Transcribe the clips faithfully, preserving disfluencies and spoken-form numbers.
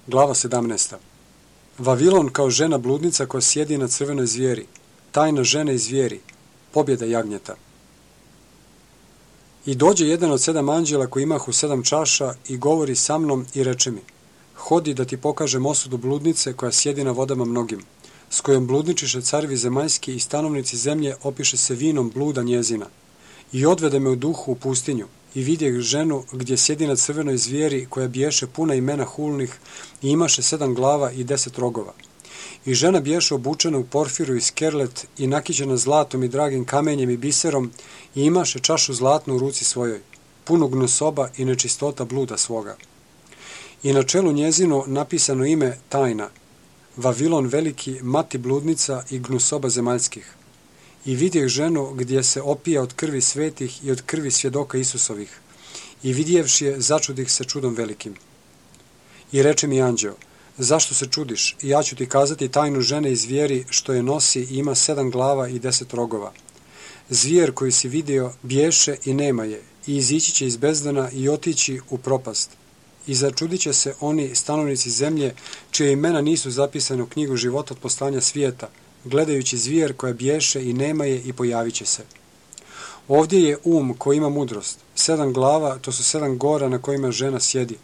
Glava sedamnaesta. Vavilon kao žena bludnica koja sjedi na crvenoj zvijeri, tajna žene i zvijeri, pobjeda jagnjeta. I dođe jedan od sedam anđela koji imahu sedam čaša i govori sa mnom i reče mi: hodi da ti pokažem osudu bludnice koja sjedi na vodama mnogim, s kojom bludničiše carevi zemaljski i stanovnici zemlje opiše se vinom bluda njezina. I odvede me u duhu u pustinju i vidjeh ženu gdje sjedi na crvenoj zvijeri koja biješe puna imena hulnih i imaše sedam glava i deset rogova. I žena biješe obučena u porfiru i skerlet i nakićena zlatom i dragim kamenjem i biserom i imaše čašu zlatnu u ruci svojoj, punu gnusoba i nečistota bluda svoga. I na čelu njezino napisano ime tajna, Vavilon veliki, mati bludnica i gnusoba zemaljskih. I vidjeh ženu gdje se opija od krvi svetih i od krvi svjedoka Isusovih. I vidjevši je, začudih se čudom velikim. I reče mi anđeo: zašto se čudiš? I ja ću ti kazati tajnu žene i zvijeri što je nosi i ima sedam glava i deset rogova. Zvijer koji si vidio biješe i nema je, i izići će iz bezdana i otići u propast. I začudit će se oni stanovnici zemlje čije imena nisu zapisane u knjigu života od postanja svijeta, gledajući zvijer koja biješe i nema je i pojavit će se. Ovdje je um koji ima mudrost. Sedam glava, to su sedam gora na kojima žena sjedi.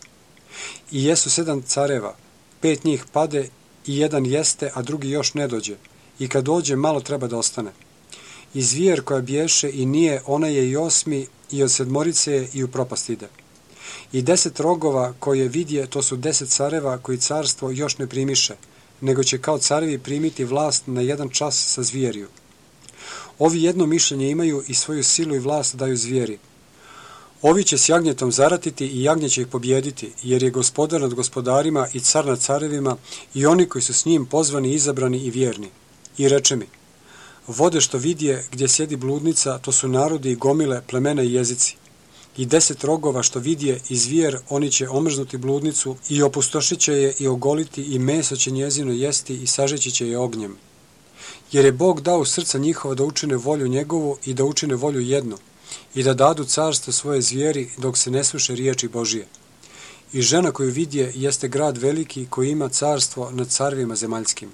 I jesu sedam careva, pet njih pade i jedan jeste, a drugi još ne dođe. I kad dođe, malo treba da ostane. I zvijer koja biješe i nije, ona je i osmi, i od sedmorice je i u propast ide. I deset rogova koje vidje, to su deset careva koji carstvo još ne primiše, nego će kao carevi primiti vlast na jedan čas sa zvjeriju. Ovi jedno mišljenje imaju i svoju silu i vlast daju zvijeri. Ovi će s jagnjetom zaratiti i jagnje će ih pobjediti, jer je gospodar nad gospodarima i car nad carevima i oni koji su s njim pozvani, izabrani i vjerni. I reče mi: vode što vidje gdje sjedi bludnica, to su narodi i gomile, plemena i jezici. I deset rogova što vidje i zvijer, oni će omrznuti bludnicu i opustošit će je i ogoliti i meso će njezino jesti i sažeći će je ognjem. Jer je Bog dao srca njihova da učine volju njegovu i da učine volju jednu i da dadu carstvo svoje zvijeri dok se ne sluše riječi Božije. I žena koju vidje jeste grad veliki koji ima carstvo nad carevima zemaljskim.